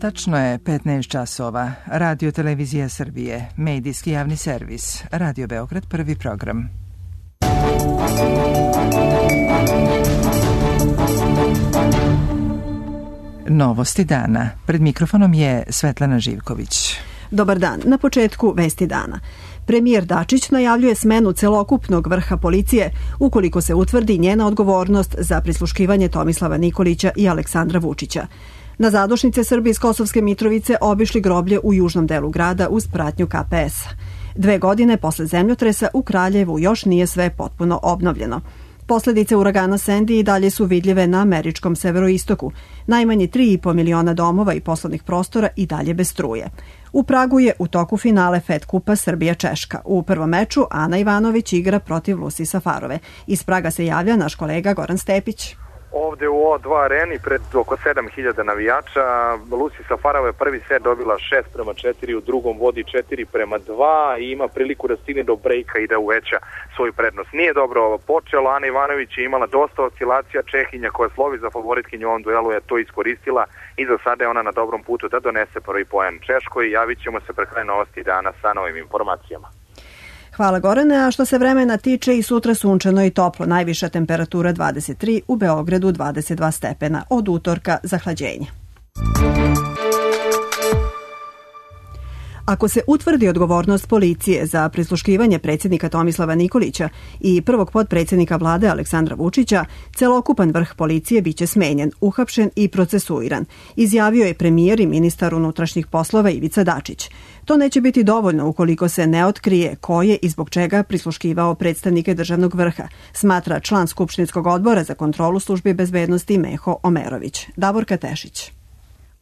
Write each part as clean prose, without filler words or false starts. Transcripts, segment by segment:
Tačno je 15 časova. Radio Televizija Srbije, medijski javni servis, Radio Beograd, prvi program. Novosti dana. Pred mikrofonom je Svetlana Živković. Dobar dan. Na početku vesti dana. Premijer Dačić najavljuje smenu celokupnog vrha policije ukoliko se utvrdi njena odgovornost za prisluškivanje Tomislava Nikolića i Aleksandra Vučića. Na zadušnice Srbije iz Kosovske Mitrovice obišli groblje u južnom delu grada uz pratnju KPS-a. 2 godine posle zemljotresa u Kraljevu još nije sve potpuno obnovljeno. Posledice uragana Sandy i dalje su vidljive na američkom severoistoku. Najmanje 3,5 miliona domova i poslovnih prostora i dalje bez struje. U Pragu je u toku finale FED kupa Srbija-Češka. U prvom meču Ana Ivanović igra protiv Lucy Safarove. Iz Praga se javlja naš kolega Goran Stepić. Ovde u O2 areni pred oko 7000 navijača, Lucy Safarova je prvi set dobila 6-4, u drugom vodi 4-2 i ima priliku da stigne do brejka i da uveća svoju prednost. Nije dobro počelo, Ana Ivanović je imala dosta oscilacija, Čehinja koja slovi za favoritkinju u ovom duelu je to iskoristila i za sada je ona na dobrom putu da donese prvi poen Češkoj. Javit ćemo se pre kraja novosti dana sa novim informacijama. Hvala Gorane, a što se vremena tiče i sutra sunčano i toplo, najviša temperatura 23, u Beogradu 22 stepena, od utorka zahlađenje. Ako se utvrdi odgovornost policije za prisluškivanje predsjednika Tomislava Nikolića i prvog potpredsjednika vlade Aleksandra Vučića, celokupan vrh policije biće smenjen, uhapšen i procesuiran, izjavio je premijer i ministar unutrašnjih poslova Ivica Dačić. To neće biti dovoljno ukoliko se ne otkrije ko je i zbog čega prisluškivao predstavnike državnog vrha, smatra član Skupštinskog odbora za kontrolu službi bezbednosti Meho Omerović. Davorka Tešić.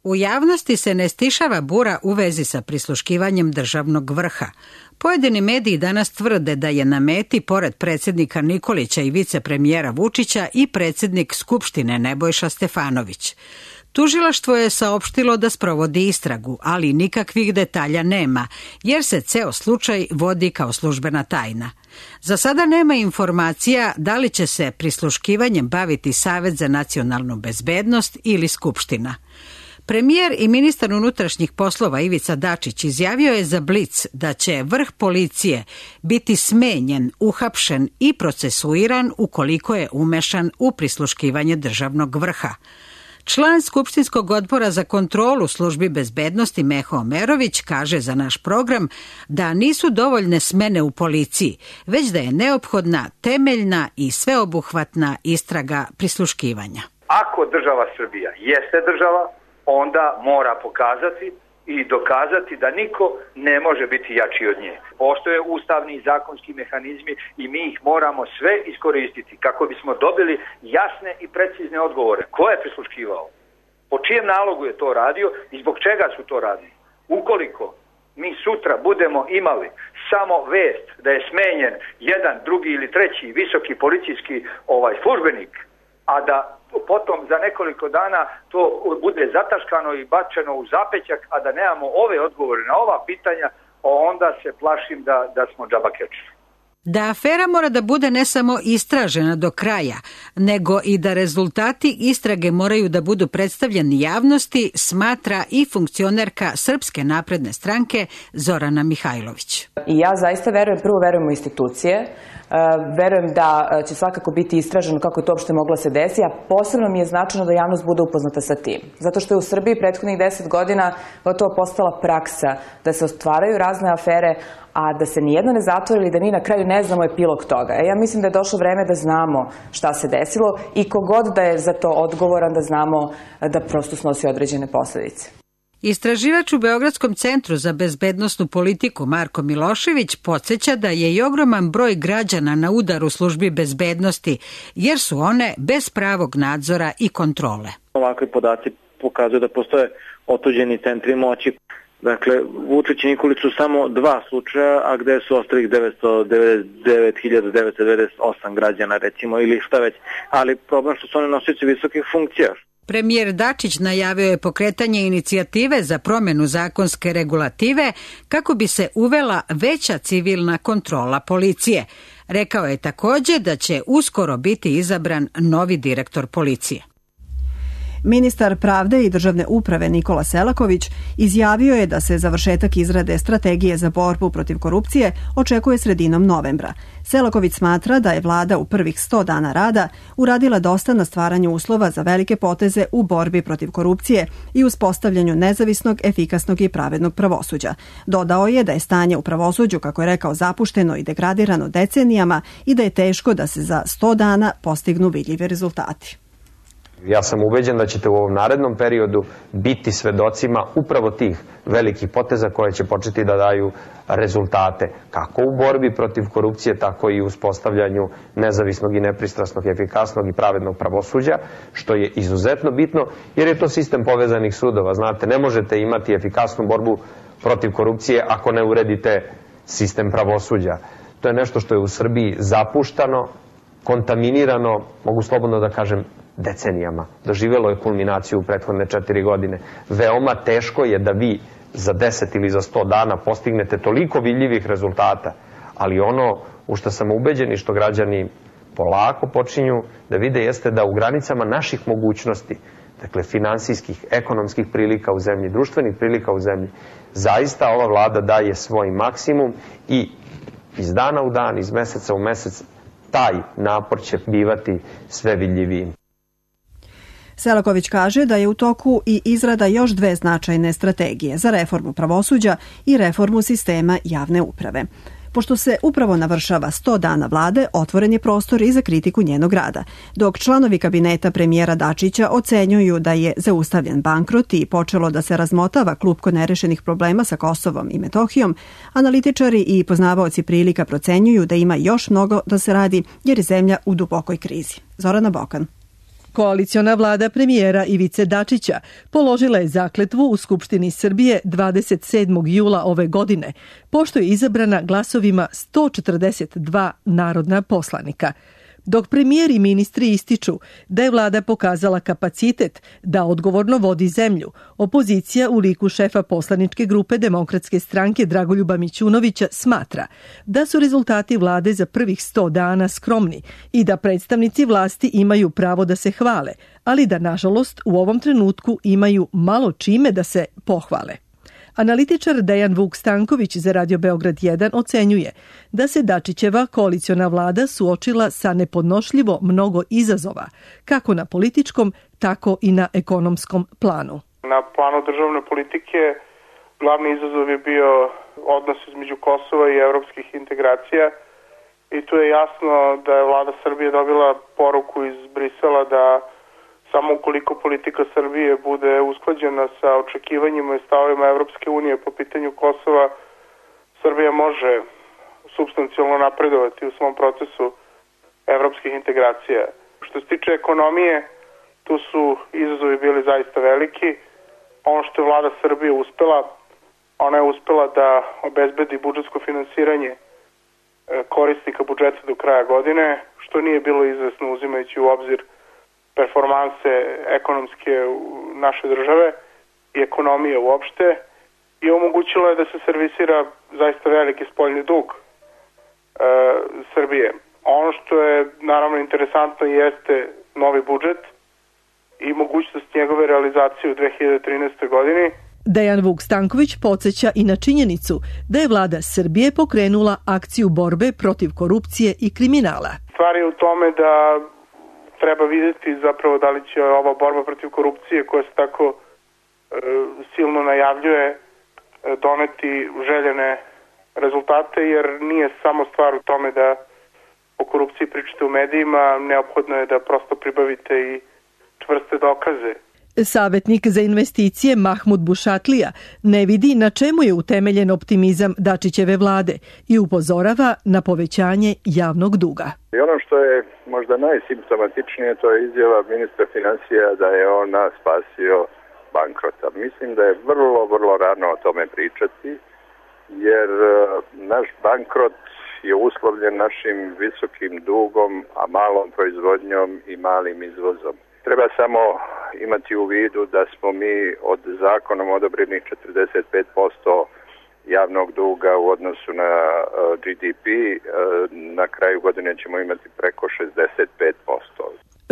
U javnosti se ne stišava bura u vezi sa prisluškivanjem državnog vrha. Pojedini mediji danas tvrde da je na meti, pored predsjednika Nikolića i vicepremijera Vučića, i predsjednik Skupštine Nebojša Stefanović. Tužilaštvo je saopštilo da sprovodi istragu, ali nikakvih detalja nema, jer se ceo slučaj vodi kao službena tajna. Za sada nema informacija da li će se prisluškivanjem baviti Savet za nacionalnu bezbednost ili Skupština. Premijer i ministar unutrašnjih poslova Ivica Dačić izjavio je za Blic da će vrh policije biti smenjen, uhapšen i procesuiran ukoliko je umešan u prisluškivanje državnog vrha. Član Skupštinskog odbora za kontrolu službi bezbednosti Meho Omerović kaže za naš program da nisu dovoljne smene u policiji, već da je neophodna temeljna i sveobuhvatna istraga prisluškivanja. Ako država Srbija jeste država, onda mora pokazati i dokazati da niko ne može biti jači od nje. Postoje ustavni i zakonski mehanizmi i mi ih moramo sve iskoristiti kako bismo dobili jasne i precizne odgovore. Ko je prisluškivao? Po čijem nalogu je to radio i zbog čega su to radili? Ukoliko mi sutra budemo imali samo vest da je smenjen jedan, drugi ili treći visoki policijski službenik, a da potom za nekoliko dana to bude zataškano i bačeno u zapećak, a da nemamo ove odgovore na ova pitanja, onda se plašim da smo džabakeči. Da afera mora da bude ne samo istražena do kraja, nego i da rezultati istrage moraju da budu predstavljeni javnosti, smatra i funkcionerka Srpske napredne stranke Zorana Mihajlović. I ja zaista verujem u institucije, verujem da će svakako biti istraženo kako je to uopšte moglo se desiti, a posebno mi je značajno da javnost bude upoznata sa tim. Zato što je u Srbiji prethodnih 10 godina gotovo postala praksa da se ostvaraju razne afere, a da se nijedna ne zatvori ili da mi na kraju ne znamo epilog toga. Ja mislim da je došlo vreme da znamo šta se desilo i kogod da je za to odgovoran da znamo da prosto snosi određene posledice. Istraživač u Beogradskom centru za bezbednosnu politiku Marko Milošević podsjeća da je i ogroman broj građana na udaru službi bezbednosti, jer su one bez pravog nadzora i kontrole. Ovakvi podaci pokazuju da postoje otuđeni centri moći. Dakle, Vučić i Nikolić su samo 2 slučaja, a gde su ostalih 999.998 građana, recimo, ili šta već. Ali problem što su oni nosioci visokih funkcija. Premijer Dačić najavio je pokretanje inicijative za promjenu zakonske regulative kako bi se uvela veća civilna kontrola policije. Rekao je također da će uskoro biti izabran novi direktor policije. Ministar pravde i državne uprave Nikola Selaković izjavio je da se završetak izrade strategije za borbu protiv korupcije očekuje sredinom novembra. Selaković smatra da je vlada u prvih 100 dana rada uradila dosta na stvaranju uslova za velike poteze u borbi protiv korupcije i uspostavljanju nezavisnog, efikasnog i pravednog pravosuđa. Dodao je da je stanje u pravosuđu, kako je rekao, zapušteno i degradirano decenijama i da je teško da se za 100 dana postignu vidljivi rezultati. Ja sam ubeđen da ćete u ovom narednom periodu biti svedocima upravo tih velikih poteza koje će početi da daju rezultate kako u borbi protiv korupcije, tako i u uspostavljanju nezavisnog i nepristrasnog, efikasnog i pravednog pravosuđa, što je izuzetno bitno jer je to sistem povezanih sudova. Znate, ne možete imati efikasnu borbu protiv korupcije ako ne uredite sistem pravosuđa. To je nešto što je u Srbiji zapuštano, kontaminirano, mogu slobodno da kažem, decenijama. Doživjelo je kulminaciju u prethodne 4 godine. Veoma teško je da vi za 10 ili za 100 dana postignete toliko vidljivih rezultata, ali ono u što sam ubeđen i što građani polako počinju da vide jeste da u granicama naših mogućnosti, dakle finansijskih, ekonomskih prilika u zemlji, društvenih prilika u zemlji, zaista ova vlada daje svoj maksimum i iz dana u dan, iz meseca u mesec, taj napor će bivati sve vidljiviji. Selaković kaže da je u toku i izrada još 2 značajne strategije za reformu pravosuđa i reformu sistema javne uprave. Pošto se upravo navršava 100 dana vlade, otvoren je prostor i za kritiku njenog rada. Dok članovi kabineta premijera Dačića ocenjuju da je zaustavljen bankrot i počelo da se razmotava klupko nerešenih problema sa Kosovom i Metohijom, analitičari i poznavaoci prilika procenjuju da ima još mnogo da se radi jer je zemlja u dubokoj krizi. Zorana Bokan. Koaliciona vlada premijera Ivice Dačića položila je zakletvu u Skupštini Srbije 27. jula ove godine, pošto je izabrana glasovima 142 narodna poslanika. Dok premijer i ministri ističu da je vlada pokazala kapacitet da odgovorno vodi zemlju, opozicija u liku šefa poslaničke grupe Demokratske stranke Dragoljuba Mićunovića smatra da su rezultati vlade za prvih 100 dana skromni i da predstavnici vlasti imaju pravo da se hvale, ali da nažalost u ovom trenutku imaju malo čime da se pohvale. Analitičar Dejan Vuk Stanković za Radio Beograd 1 ocenjuje da se Dačićeva koaliciona vlada suočila sa nepodnošljivo mnogo izazova, kako na političkom, tako i na ekonomskom planu. Na planu državne politike glavni izazov je bio odnos između Kosova i evropskih integracija i tu je jasno da je vlada Srbije dobila poruku iz Brisela da samo ukoliko politika Srbije bude usklađena sa očekivanjima i stavovima Evropske unije po pitanju Kosova, Srbija može supstancijalno napredovati u svom procesu evropskih integracija. Što se tiče ekonomije, tu su izazovi bili zaista veliki. Ono što je vlada Srbije uspela, ona je uspela da obezbedi budžetsko finansiranje korisnika budžeta do kraja godine, što nije bilo izvesno uzimajući u obzir performanse ekonomske naše države i ekonomije uopšte i omogućilo je da se servisira zaista veliki spoljni dug Srbije. Ono što je naravno interesantno jeste novi budžet i mogućnost njegove realizacije u 2013. godini. Dejan Vuk Stanković podsjeća i na činjenicu da je vlada Srbije pokrenula akciju borbe protiv korupcije i kriminala. Stvar je u tome da treba vidjeti zapravo da li će ova borba protiv korupcije koja se tako silno najavljuje doneti željene rezultate, jer nije samo stvar u tome da o korupciji pričate u medijima, neophodno je da prosto pribavite i čvrste dokaze. Savjetnik za investicije Mahmud Bušatlija ne vidi na čemu je utemeljen optimizam Dačićeve vlade i upozorava na povećanje javnog duga. I ono što je možda najsimptomatičnije, to je izjava ministra financija da je on nas spasio bankrota. Mislim da je vrlo rano o tome pričati, jer naš bankrot je uslovljen našim visokim dugom, a malom proizvodnjom i malim izvozom. Treba samo imati u vidu da smo mi od zakonom odobrenih 45% javnog duga u odnosu na GDP, na kraju godine ćemo imati preko 65%.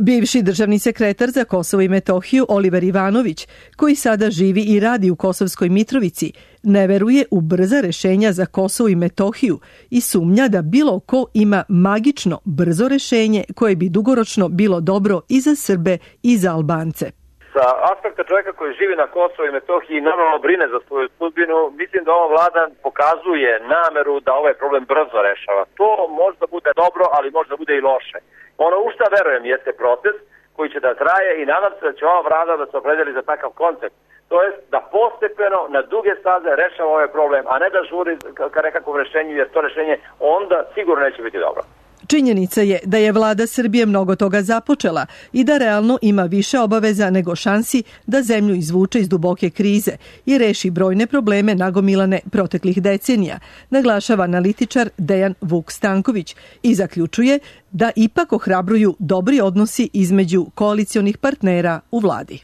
Bivši državni sekretar za Kosovo i Metohiju Oliver Ivanović, koji sada živi i radi u Kosovskoj Mitrovici, ne veruje u brza rešenja za Kosovo i Metohiju i sumnja da bilo ko ima magično brzo rešenje koje bi dugoročno bilo dobro i za Srbe i za Albance. Sa aspekta čovjeka koji živi na Kosovo i Metohiji i normalno brine za svoju sudbinu, mislim da ova vlada pokazuje nameru da ovaj problem brzo rešava. To možda bude dobro, ali možda bude i loše. Ono u šta verujem jeste proces koji će da traje i nadam se da će ova vlada da se opredeli za takav koncept. To jest da postepeno na duge staze rešava ovaj problem, a ne da žuri ka nekakvom rešenju, jer to rešenje onda sigurno neće biti dobro. Činjenica je da je vlada Srbije mnogo toga započela i da realno ima više obaveza nego šansi da zemlju izvuče iz duboke krize i reši brojne probleme nagomilane proteklih decenija, naglašava analitičar Dejan Vuk Stanković i zaključuje da ipak ohrabruju dobri odnosi između koalicionih partnera u vladi.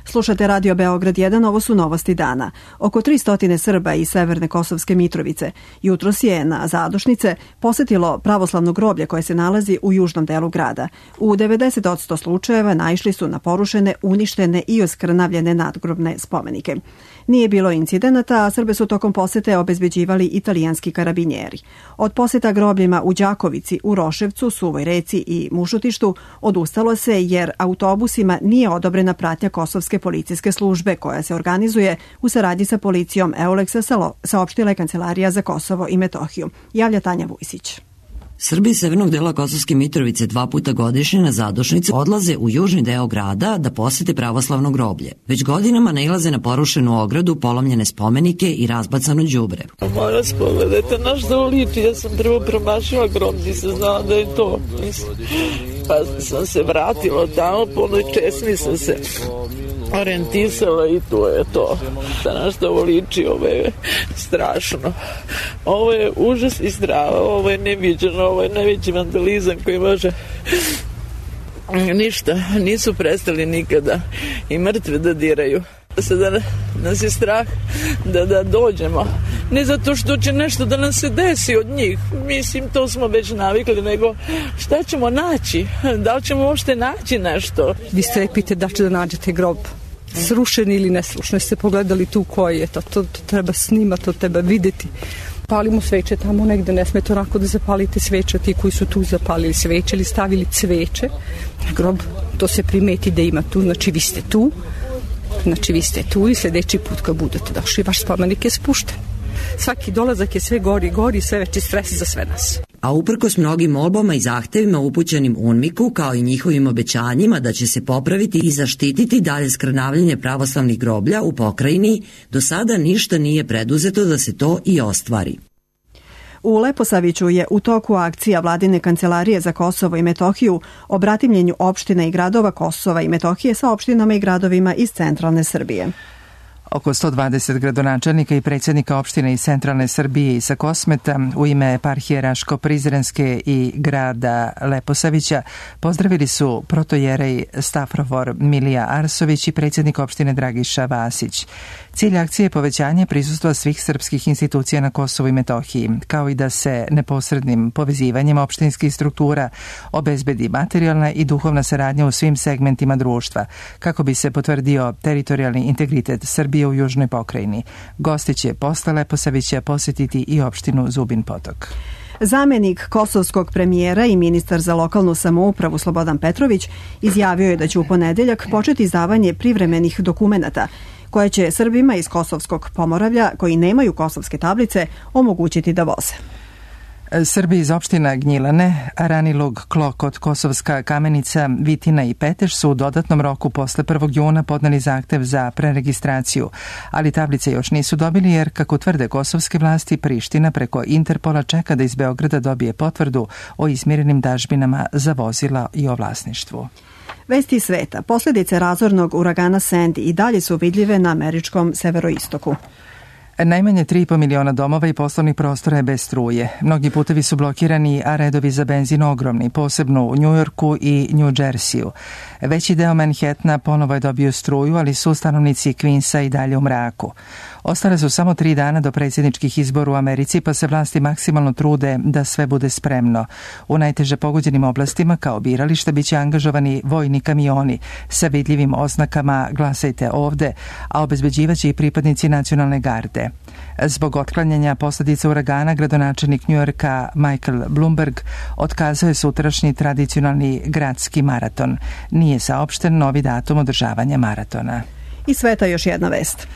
Slušate Radio Beograd 1, ovo su novosti dana. Oko 300 Srba iz Severne Kosovske Mitrovice jutros je na zadušnice posetilo pravoslavno groblje koje se nalazi u južnom delu grada. U 90% slučajeva naišli su na porušene, uništene i oskrnavljene nadgrobne spomenike. Nije bilo incidenata, a Srbe su tokom posete obezbeđivali italijanski karabinjeri. Od poseta grobljima u Đakovici, u Roševcu, Suvoj Reci i Mušutištu odustalo se jer autobusima nije odobrena pratnja Kosovske policijske službe koja se organizuje u saradnji sa policijom Euleksa, saopštila je Kancelarija za Kosovo i Metohiju. Javlja Tanja Vujsić. Srbi iz severnog dela Kosovske Mitrovice 2 puta godišnje na zadušnicu odlaze u južni deo grada da posete pravoslavno groblje. Već godinama nailaze na porušenu ogradu, polomljene spomenike i razbacano đubre. Moram spogledajte na što liči, ja sam prvo promašila grob, nisam znala da je to. Pa sam se vratila tamo, po onoj česmi sam se orijentisala i to je to. Na što ovo liči, ovo je strašno. Ovo je užas i strava, ovo je neviđeno, ovo je najveći vandalizam koji može... Ništa, nisu prestali nikada i mrtve da diraju. Sada nas je strah da dođemo. Ne zato što će nešto da nam se desi od njih. Mislim, to smo već navikli, nego šta ćemo naći? Da li ćemo uopšte naći nešto? Vi strepite da će da nađete grob. Srušeni ili nesrušeni. Ste pogledali tu koji je to treba snimati, to treba videti. Palimo sveće tamo negde, ne smete onako da zapalite sveće, ti koji su tu zapalili sveće ili stavili cveće. Grob, to se primeti da ima tu, znači vi ste tu i sljedeći put kad budete došli, vaš spomenik je spušten. Svaki dolazak je sve gori, sve veći stres za sve nas. A uprkos mnogim molbama i zahtevima upućenim UNMIK-u, kao i njihovim obećanjima da će se popraviti i zaštititi dalje skrnavljanje pravoslavnih groblja u pokrajini, do sada ništa nije preduzeto da se to i ostvari. U Leposaviću je u toku akcija Vladine Kancelarije za Kosovo i Metohiju o bratimljenju opština i gradova Kosova i Metohije sa opštinama i gradovima iz centralne Srbije. Oko 120 gradonačelnika i predsjednika opštine iz centralne Srbije i sa Kosmeta u ime eparhije Raško-Prizrenske i grada Leposavića pozdravili su protojerej Stafrovor Milija Arsović i predsjednik opštine Dragiša Vasić. Cilj akcije je povećanje prisustva svih srpskih institucija na Kosovu i Metohiji, kao i da se neposrednim povezivanjem opštinskih struktura obezbedi materijalna i duhovna saradnja u svim segmentima društva, kako bi se potvrdio teritorijalni integritet Srbije u južnoj pokrajini. Gosti će posle Leposavića posjetiti i opštinu Zubin Potok. Zamenik kosovskog premijera i ministar za lokalnu samoupravu Slobodan Petrović izjavio je da će u ponedeljak početi izdavanje privremenih dokumenata koje će Srbima iz Kosovskog Pomoravlja koji nemaju kosovske tablice omogućiti da voze. Srbi iz opština Gnjilane, Ranilug, Klokot, Kosovska Kamenica, Vitina i Peteš su u dodatnom roku posle 1. juna podneli zahtev za preregistraciju, ali tablice još nisu dobili jer, kako tvrde kosovske vlasti, Priština preko Interpola čeka da iz Beograda dobije potvrdu o izmirenim dažbinama za vozila i o vlasništvu. Vesti sveta. Posljedice razornog uragana Sandy i dalje su vidljive na američkom severoistoku. Najmanje 3,5 miliona domova i poslovnih prostora je bez struje. Mnogi putevi su blokirani, a redovi za benzin ogromni, posebno u Njujorku i New Jerseyu. Veći deo Manhattana ponovo je dobio struju, ali su stanovnici Queensa i dalje u mraku. Ostale su samo 3 dana do predsjedničkih izbora u Americi, pa se vlasti maksimalno trude da sve bude spremno. U najteže pogođenim oblastima, kao biralište, biće angažovani vojni kamioni sa vidljivim oznakama "Glasajte ovde", a obezbeđivaće i pripadnici nacionalne garde. Zbog otklanjanja posledica uragana, gradonačelnik Njujorka Michael Bloomberg otkazao je sutrašnji tradicionalni gradski maraton. Nije saopšten novi datum održavanja maratona. I sveta još jedna vest.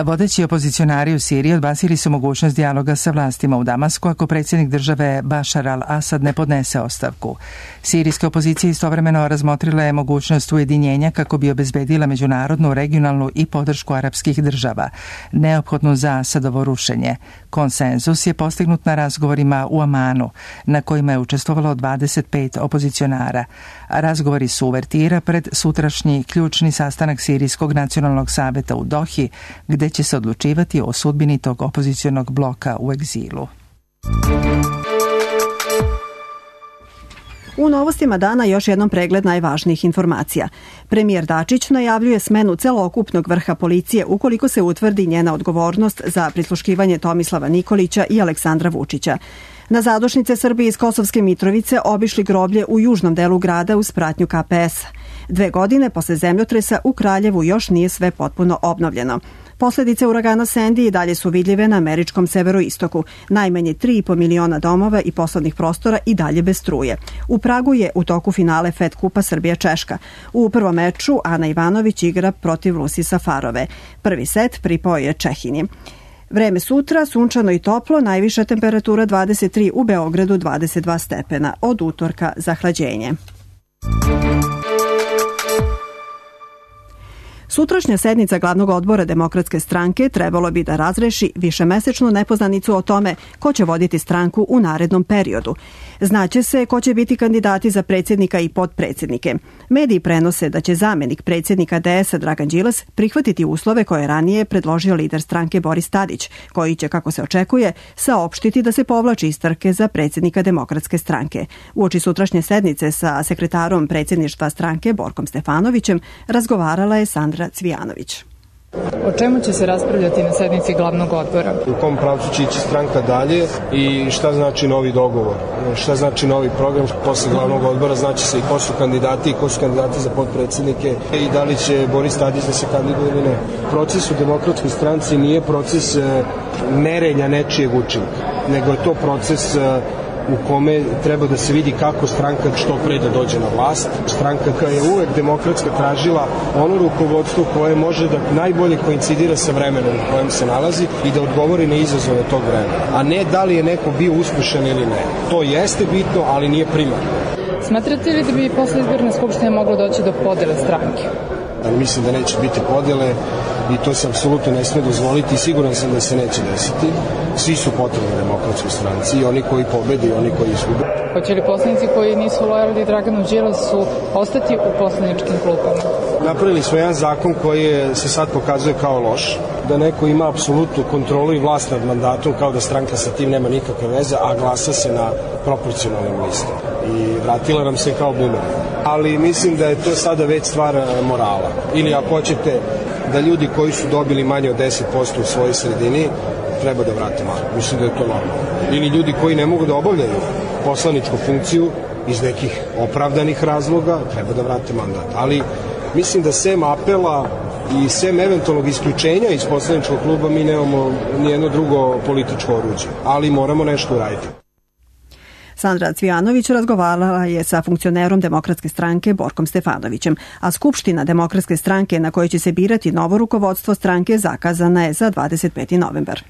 Vodeći opozicionari u Siriji odbacili su mogućnost dijaloga sa vlastima u Damasku ako predsjednik države Bashar al-Assad ne podnese ostavku. Sirijska opozicija istovremeno razmotrila je mogućnost ujedinjenja kako bi obezbedila međunarodnu, regionalnu i podršku arapskih država, neophodnu za Asadovo rušenje. Konsenzus je postignut na razgovorima u Amanu, na kojima je učestvovalo 25 opozicionara. Razgovori su uvertira pred sutrašnji ključni sastanak Sirijskog nacionalnog saveta u Dohi, gde će se odlučivati o sudbini tog opozicionog bloka u egzilu. U novostima dana još jednom pregled najvažnijih informacija. Premijer Dačić najavljuje smenu celokupnog vrha policije ukoliko se utvrdi njena odgovornost za prisluškivanje Tomislava Nikolića i Aleksandra Vučića. Na zadušnice Srbije iz Kosovske Mitrovice obišli groblje u južnom delu grada uz pratnju KPS. 2 godine posle zemljotresa u Kraljevu još nije sve potpuno obnovljeno. Posledice uragana Sandy i dalje su vidljive na američkom severoistoku. Najmanje 3,5 miliona domova i poslovnih prostora i dalje bez struje. U Pragu je u toku finale FED kupa Srbija-Češka. U prvom meču Ana Ivanović igra protiv Lusi Safarove. Prvi set pripao je Čehinji. Vreme sutra, sunčano i toplo, najviša temperatura 23, u Beogradu 22 stepena. Od utorka zahlađenje. Sutrašnja sednica glavnog odbora Demokratske stranke trebalo bi da razreši višemesečnu nepoznanicu o tome ko će voditi stranku u narednom periodu. Znaće se ko će biti kandidati za predsjednika i potpredsjednike. Mediji prenose da će zamenik predsjednika DS-a Dragan Đilas prihvatiti uslove koje je ranije predložio lider stranke Boris Tadić, koji će, kako se očekuje, saopštiti da se povlači iz trke za predsjednika Demokratske stranke. Uoči sutrašnje sednice sa sekretarom predsjedništva stranke Borkom Stefanovićem razgovarala je Sandra Cvijanović. O čemu će se raspravljati na sednici glavnog odbora? U kom pravcu će ići stranka dalje i šta znači novi dogovor, šta znači novi program. Posle glavnog odbora znači se i ko su kandidati za potpredsjednike i da li će Boris Tadić da se kandiduje ili ne. Proces u Demokratskoj stranci nije proces merenja nečijeg učinka, nego je to proces u kome treba da se vidi kako stranka što pre da dođe na vlast. Stranka koja je uvek demokratska tražila ono rukovodstvo koje može da najbolje koincidira sa vremenom u kojem se nalazi i da odgovori na izazove tog vremena. A ne da li je neko bio uspešan ili ne. To jeste bitno, ali nije primarno. Smatrate li da bi posle izborne skupštine moglo doći do podele stranke? Mislim da neće biti podele i to se apsolutno ne smije dozvoliti i siguran sam da se neće desiti. Svi su potrebni Demokratskoj stranci, i oni koji pobede i oni koji izgube. Hoće li poslanici koji nisu lojalni Draganu Đilasu ostati u poslaničkim klupama? Napravili smo jedan zakon koji se sad pokazuje kao loš, da neko ima apsolutnu kontrolu i vlast nad mandatom, kao da stranka sa tim nema nikakve veze, a glasa se na proporcionalnim listama. I vratila nam se kao bumerang. Ali mislim da je to sada već stvar morala. Ili ako hoćete da ljudi koji su dobili manje od 10% u svojoj sredini treba da vrate mandat. Mislim da je to normalno. Ili ljudi koji ne mogu da obavljaju poslaničku funkciju iz nekih opravdanih razloga treba da vrate mandat. Ali mislim da sem apela i sem eventualnog isključenja iz poslaničkog kluba mi nemamo nijedno drugo političko oruđe. Ali moramo nešto uraditi. Sandra Cvijanović razgovarala je sa funkcionerom Demokratske stranke Borkom Stefanovićem, a Skupština Demokratske stranke na kojoj će se birati novo rukovodstvo stranke zakazana je za 25. novembar.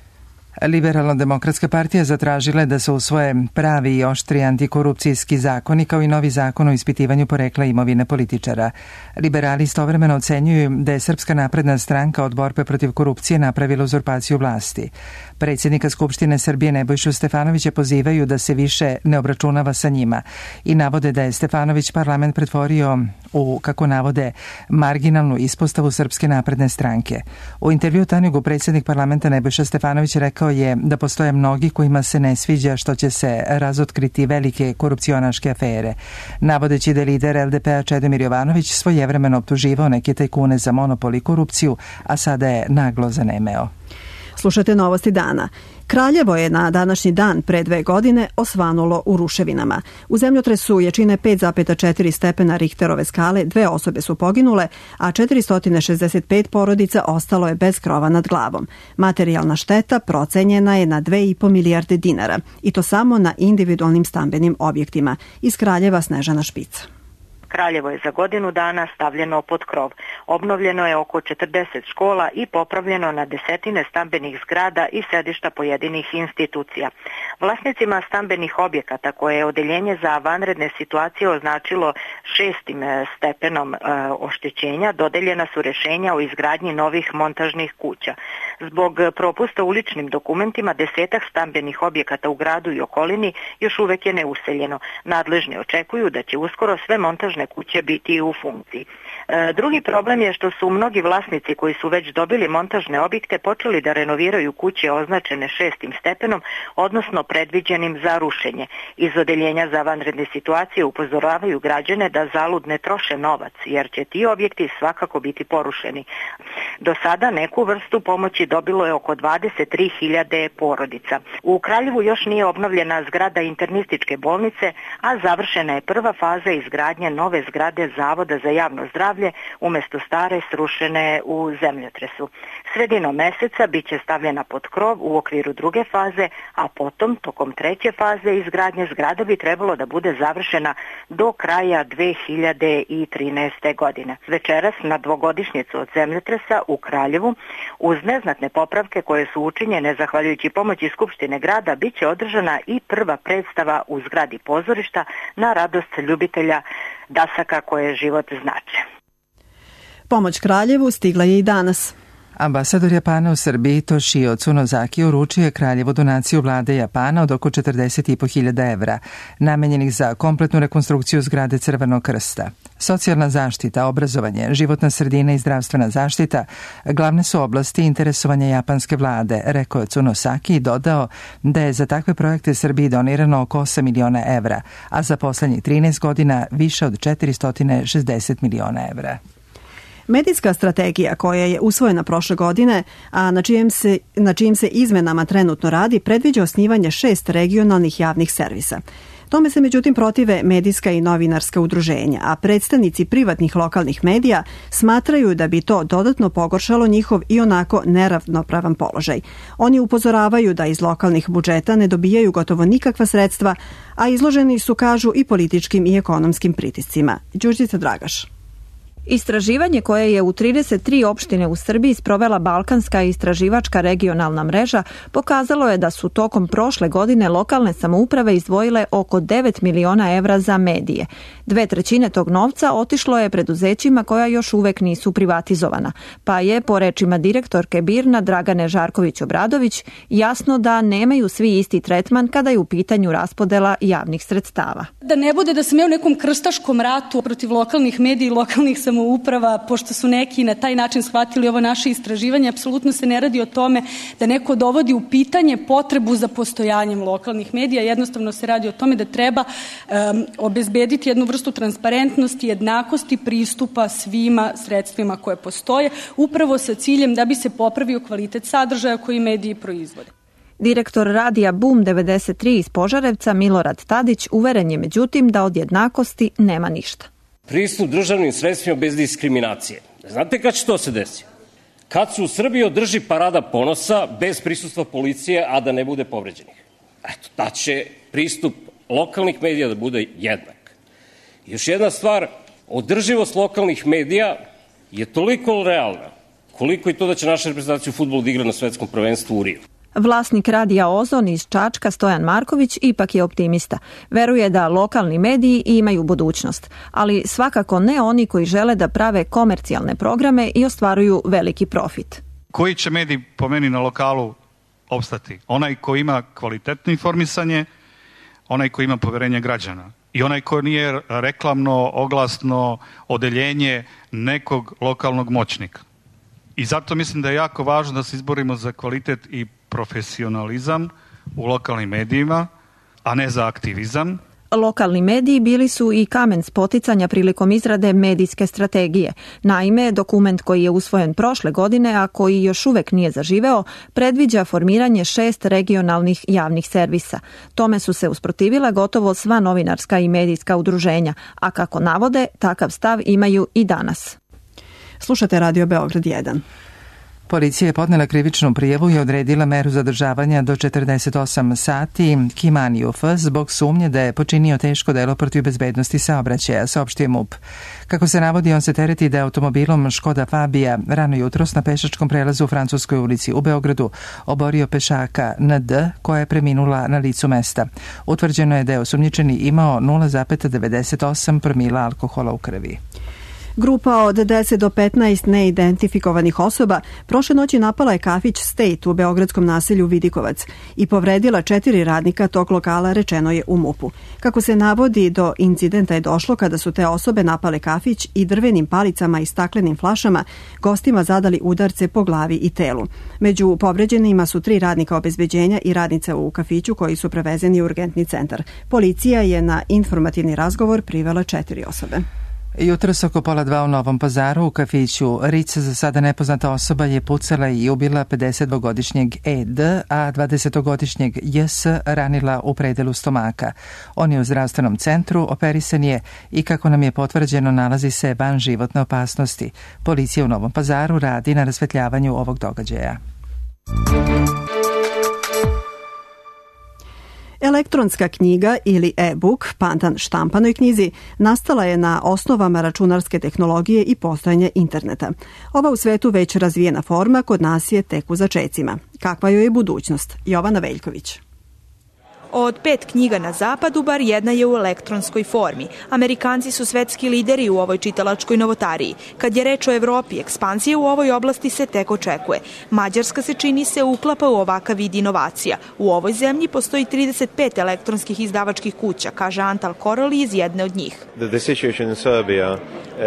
Liberalno-demokratska partija zatražila je da se usvoje pravi i oštri antikorupcijski zakoni kao i novi zakon o ispitivanju porekla imovine političara. Liberali istovremeno ocenjuju da je Srpska napredna stranka od borbe protiv korupcije napravila uzurpaciju vlasti. Predsjednika Skupštine Srbije Nebojšu Stefanovića pozivaju da se više ne obračunava sa njima i navode da je Stefanović parlament pretvorio u, kako navode, marginalnu ispostavu Srpske napredne stranke. U intervju Tanjugu predsjednik parlamenta Nebojša Stefanović rekao je da postoje mnogi kojima se ne sviđa što će se razotkriti velike korupcionaške afere. Navodeći da je lider LDP-a Čedomir Jovanović svojevremeno optuživao neke tajkune za monopol i korupciju, a sada je naglo zanemeo. Slušajte novosti dana. Kraljevo je na današnji dan pre 2 godine osvanulo u ruševinama. U zemljotresu jačine 5,4 stepena Richterove skale 2 osobe su poginule, a 465 porodica ostalo je bez krova nad glavom. Materijalna šteta procenjena je na 2,5 milijarde dinara i to samo na individualnim stambenim objektima. Iz Kraljeva Snežana Špica. Kraljevo je za godinu dana stavljeno pod krov. Obnovljeno je oko 40 škola i popravljeno na desetine stambenih zgrada i sedišta pojedinih institucija. Vlasnicima stambenih objekata koje je odeljenje za vanredne situacije označilo 6. stepenom oštećenja dodeljena su rješenja o izgradnji novih montažnih kuća. Zbog propusta u ličnim dokumentima 10 stambenih objekata u gradu i okolini još uvek je neuseljeno. Nadležni očekuju da će uskoro sve montažne kuće biti u funkciji. Drugi problem je što su mnogi vlasnici koji su već dobili montažne objekte počeli da renoviraju kuće označene 6. stepenom, odnosno predviđenim za rušenje. Iz odeljenja za vanredne situacije upozoravaju građane da zalud ne troše novac, jer će ti objekti svakako biti porušeni. Do sada neku vrstu pomoći dobilo je oko 23.000 porodica. U Kraljevu još nije obnovljena zgrada internističke bolnice, a završena je prva faza izgradnje nove zgrade Zavoda za javno zdravlje umjesto stare srušene u zemljotresu. Sredinom meseca bit će stavljena pod krov u okviru druge faze, a potom, tokom treće faze izgradnje zgrada bi trebalo da bude završena do kraja 2013. godine. Večeras na 2-godišnjicu od zemljotresa u Kraljevu, uz neznatne popravke koje su učinjene zahvaljujući pomoći Skupštine grada, bit će održana i prva predstava u zgradi pozorišta na radost ljubitelja dasaka koje život znače. Pomoć Kraljevu stigla je i danas. Ambasador Japana u Srbiji Toshio Tsunozaki uručio je Kraljevu donaciju vlade Japana od oko 40.500 evra, namenjenih za kompletnu rekonstrukciju zgrade Crvenog krsta. Socijalna zaštita, obrazovanje, životna sredina i zdravstvena zaštita glavne su oblasti interesovanja japanske vlade, rekao je Tsunosaki i dodao da je za takve projekte Srbiji donirano oko 8 miliona evra, a za poslednjih 13 godina više od 460 miliona evra. Medijska strategija koja je usvojena prošle godine, a na čijim se izmenama trenutno radi, predviđa osnivanje 6 regionalnih javnih servisa. Tome se međutim protive medijska i novinarska udruženja, a predstavnici privatnih lokalnih medija smatraju da bi to dodatno pogoršalo njihov i onako neravnopravan položaj. Oni upozoravaju da iz lokalnih budžeta ne dobijaju gotovo nikakva sredstva, a izloženi su, kažu, i političkim i ekonomskim pritiscima. Đurđica Dragaš. Istraživanje koje je u 33 opštine u Srbiji sprovela Balkanska istraživačka regionalna mreža pokazalo je da su tokom prošle godine lokalne samouprave izdvojile oko 9 miliona evra za medije. 2/3 tog novca otišlo je preduzećima koja još uvek nisu privatizovana, pa je, po rečima direktorke BIRN-a Dragane Žarković-Obradović, jasno da nemaju svi isti tretman kada je u pitanju raspodela javnih sredstava. Da ne bude da smo u nekom krstaškom ratu protiv lokalnih medija i lokalnih samouprava, pošto su neki na taj način shvatili ovo naše istraživanje, apsolutno se ne radi o tome da neko dovodi u pitanje potrebu za postojanjem lokalnih medija, jednostavno se radi o tome da treba obezbediti jednu vrstu transparentnosti, jednakosti pristupa svima sredstvima koje postoje, upravo sa ciljem da bi se popravio kvalitet sadržaja koji mediji proizvode. Direktor radija Boom 93 iz Požarevca Milorad Tadić uveren je međutim da od jednakosti nema ništa. Pristup državnim sredstvima bez diskriminacije. Znate kad će to se desiti? Kad se u Srbiji održi parada ponosa bez prisustva policije, a da ne bude povređenih. Eto, da će pristup lokalnih medija da bude jednak. Još jedna stvar, održivost lokalnih medija je toliko realna, koliko i to da će naša reprezentacija u fudbalu da igra na svetskom prvenstvu u Riju. Vlasnik radija Ozon iz Čačka, Stojan Marković, ipak je optimista. Veruje da lokalni mediji imaju budućnost, ali svakako ne oni koji žele da prave komercijalne programe i ostvaruju veliki profit. Koji će medij po meni na lokalu opstati? Onaj koji ima kvalitetno informisanje, onaj koji ima poverenje građana i onaj koji nije reklamno, oglasno odeljenje nekog lokalnog moćnika. I zato mislim da je jako važno da se izborimo za kvalitet i profesionalizam u lokalnim medijima, a ne za aktivizam. Lokalni mediji bili su i kamen spoticanja prilikom izrade medijske strategije. Naime, dokument koji je usvojen prošle godine, a koji još uvek nije zaživeo, predviđa formiranje 6 regionalnih javnih servisa. Tome su se usprotivila gotovo sva novinarska i medijska udruženja, a kako navode, takav stav imaju i danas. Slušate Radio Beograd 1. Policija je podnela krivičnu prijavu i odredila meru zadržavanja do 48 sati Kimani UF zbog sumnje da je počinio teško delo protiv bezbednosti saobraćaja, saopštio MUP. Kako se navodi, on se tereti da je automobilom Škoda Fabija rano jutros na pešačkom prelazu u Francuskoj ulici u Beogradu oborio pešaka ND koja je preminula na licu mesta. Utvrđeno je da je osumnjičeni imao 0,98 promila alkohola u krvi. Grupa od 10 do 15 neidentifikovanih osoba prošle noći napala je kafić State u beogradskom naselju Vidikovac i povredila 4 radnika tog lokala, rečeno je u MUP-u. Kako se navodi, do incidenta je došlo kada su te osobe napale kafić i drvenim palicama i staklenim flašama gostima zadali udarce po glavi i telu. Među povređenima su 3 radnika obezbeđenja i radnica u kafiću koji su prevezeni u urgentni centar. Policija je na informativni razgovor privela 4 osobe. Jutros oko 1:30 u Novom Pazaru u kafiću Ric za sada nepoznata osoba je pucala i ubila 52-godišnjeg ED, a 20-godišnjeg JS ranila u predelu stomaka. On je u zdravstvenom centru, operisan je i kako nam je potvrđeno nalazi se van životne opasnosti. Policija u Novom Pazaru radi na rasvetljavanju ovog događaja. Elektronska knjiga ili e-book, pandan štampanoj knjizi, nastala je na osnovama računarske tehnologije i postojanja interneta. Ova u svetu već razvijena forma kod nas je tek u začecima. Kakva joj je budućnost? Jovana Veljković. Od 5 knjiga na zapadu, bar jedna je u elektronskoj formi. Amerikanci su svetski lideri u ovoj čitalačkoj novotariji. Kad je reč o Evropi, ekspansija u ovoj oblasti se tek očekuje. Mađarska se čini se uklapa u ovakav vid inovacija. U ovoj zemlji postoji 35 elektronskih izdavačkih kuća, kaže Antal Koroli iz jedne od njih.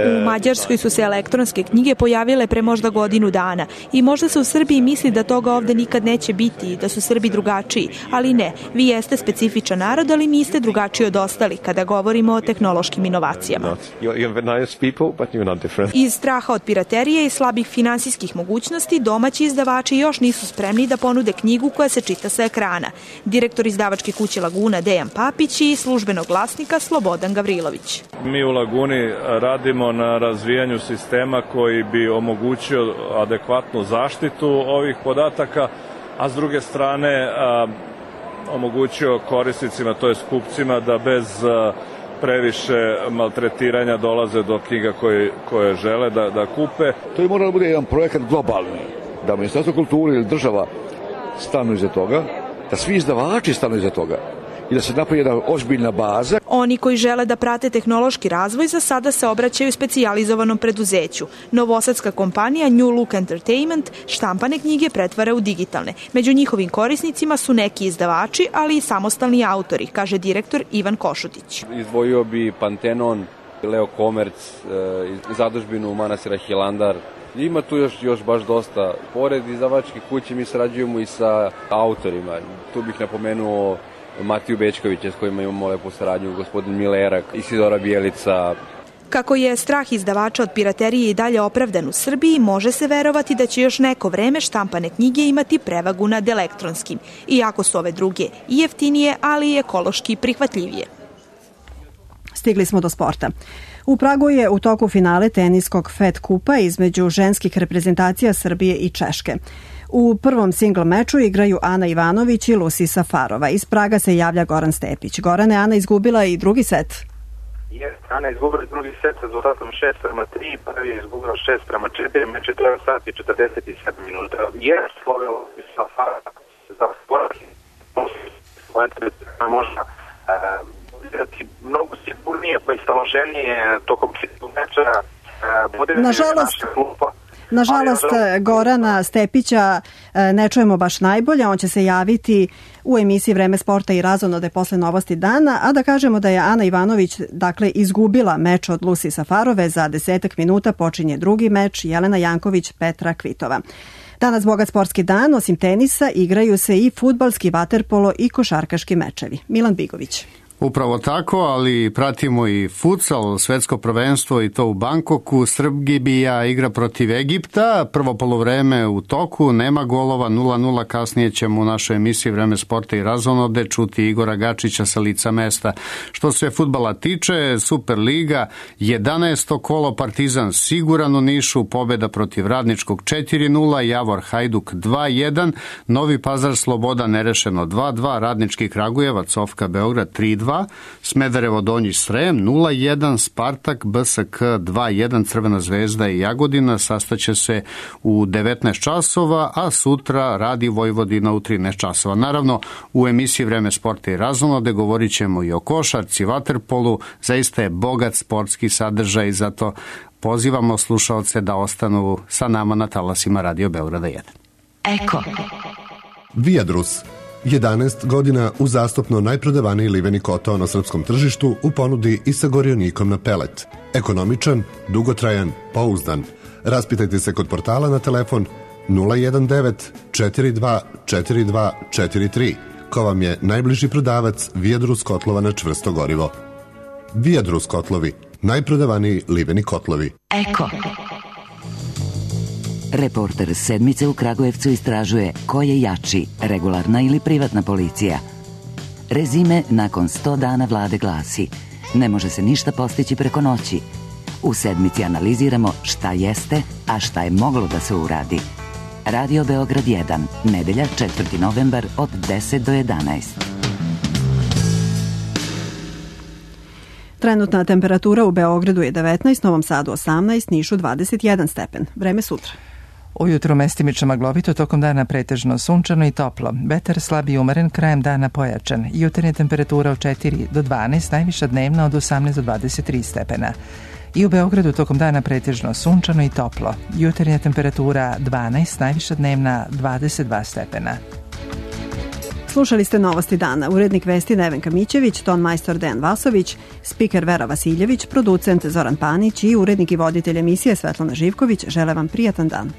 U Mađarskoj su se elektronske knjige pojavile pre možda godinu dana i možda se u Srbiji misli da toga ovde nikad neće biti, da su Srbi drugačiji, ali ne, vi jeste specifičan narod, ali niste drugačiji od ostali kada govorimo o tehnološkim inovacijama. Iz straha od piraterije i slabih finansijskih mogućnosti, domaći izdavači još nisu spremni da ponude knjigu koja se čita sa ekrana. Direktor izdavačke kuće Laguna Dejan Papić i službenog glasnika Slobodan Gavrilović. Mi u Laguni radimo na razvijanju sistema koji bi omogućio adekvatnu zaštitu ovih podataka, a s druge strane omogućio korisnicima, to jest kupcima, da bez previše maltretiranja dolaze do knjiga koje žele da kupe. To je moralo bude jedan projekat globalni, da Ministarstvo kulture ili država stanu iza toga, da svi izdavači stanu iza toga i da se napravi jedna ozbiljna baza. Oni koji žele da prate tehnološki razvoj za sada se obraćaju specijalizovanom preduzeću. Novosadska kompanija New Look Entertainment štampane knjige pretvara u digitalne. Među njihovim korisnicima su neki izdavači, ali i samostalni autori, kaže direktor Ivan Košutić. Izdvojio bi Pantenon, Leo Komerc, zadužbinu manastira Hilandar. Ima tu još baš dosta. Pored izdavačkih kući mi sarađujemo i sa autorima. Tu bih napomenuo Matiju Bečkovića s kojima imamo lepu saradnju, gospodin Milerak, Isidora Bijelica. Kako je strah izdavača od piraterije i dalje opravdan u Srbiji, može se verovati da će još neko vreme štampane knjige imati prevagu nad elektronskim, iako su ove druge i jeftinije, ali i ekološki prihvatljivije. Stigli smo do sporta. U Pragu je u toku finale teniskog FED kupa između ženskih reprezentacija Srbije i Češke. U prvom singl meču igraju Ana Ivanović i Lucy Safarova. Iz Praga se javlja Goran Stepić. Gorane, Ana izgubila i drugi set. Ana je izgubila drugi set sa rezultatom 6:3, prvi je izgubila 6:4, meč je trajao sat i 47 minuta. Slovela Safarova planeta možda igrati mnogo sigurnije, pa i staloženije tokom čitavog meča. Nažalost, Gorana Stepića ne čujemo baš najbolje, on će se javiti u emisiji Vreme sporta i razonode posle novosti dana, a da kažemo da je Ana Ivanović izgubila meč od Lucy Safarove, za 10 minuta počinje drugi meč, Jelena Janković, Petra Kvitova. Danas bogat sportski dan, osim tenisa igraju se i fudbalski, vaterpolo i košarkaški mečevi. Milan Bigović. Upravo tako, ali pratimo i futsal, svetsko prvenstvo i to u Bangkoku. Srbija igra protiv Egipta, prvo poluvreme u toku, nema golova, 0-0, kasnije ćemo u našoj emisiji Vreme sporta i razonode čuti Igora Gačića sa lica mesta. Što se fudbala tiče, Superliga, 11. kolo, Partizan siguran u Nišu, pobjeda protiv Radničkog 4-0, Javor Hajduk 2-1, Novi Pazar Sloboda nerešeno 2-2, Radnički Kragujevac, Ofka Beograd 3-2, Smederevo Donji Srem 0-1, Spartak BSK 2-1, Crvena zvezda i Jagodina sastaće se u 19 časova, a sutra radi Vojvodina u 13 časova. Naravno, u emisiji Vreme sporta i razonode govorit ćemo i o košarci, vaterpolu, zaista je bogat sportski sadržaj, zato pozivamo slušaoce da ostanu sa nama na talasima Radio Beograda 1. Eko. Viadrus. 11 godina uzastopno najprodavaniji liveni kotao na srpskom tržištu u ponudi i sa gorionikom na pelet. Ekonomičan, dugotrajan, pouzdan. Raspitajte se kod portala na telefon 019 42 42 43. Ko vam je najbliži prodavac Viadrus kotlova na čvrsto gorivo. Viadrus kotlovi, najprodavaniji liveni kotlovi. Eko. Reporter Sedmice u Kragujevcu istražuje ko je jači, regularna ili privatna policija. Rezime nakon 100 dana vlade glasi: ne može se ništa postići preko noći. U Sedmici analiziramo šta jeste, a šta je moglo da se uradi. Radio Beograd 1, nedelja 4. novembar od 10 do 11. Trenutna temperatura u Beogradu je 19, Novom Sadu 18, Nišu 21 stepen. Vreme sutra. Ujutro mestimično maglovito, tokom dana pretežno sunčano i toplo. Vetar slab i umeren, krajem dana pojačan. Jutarnja temperatura od 4 do 12, najviša dnevna od 18 do 23 stepena. I u Beogradu tokom dana pretežno sunčano i toplo. Jutarnja temperatura 12, najviša dnevna 22 stepena. Slušali ste novosti dana. Urednik vesti Nevenka Mićević, ton majstor Dejan Vasović, spiker Vera Vasiljević, producent Zoran Panić i urednik i voditelj emisije Svetlana Živković žele vam prijatan dan.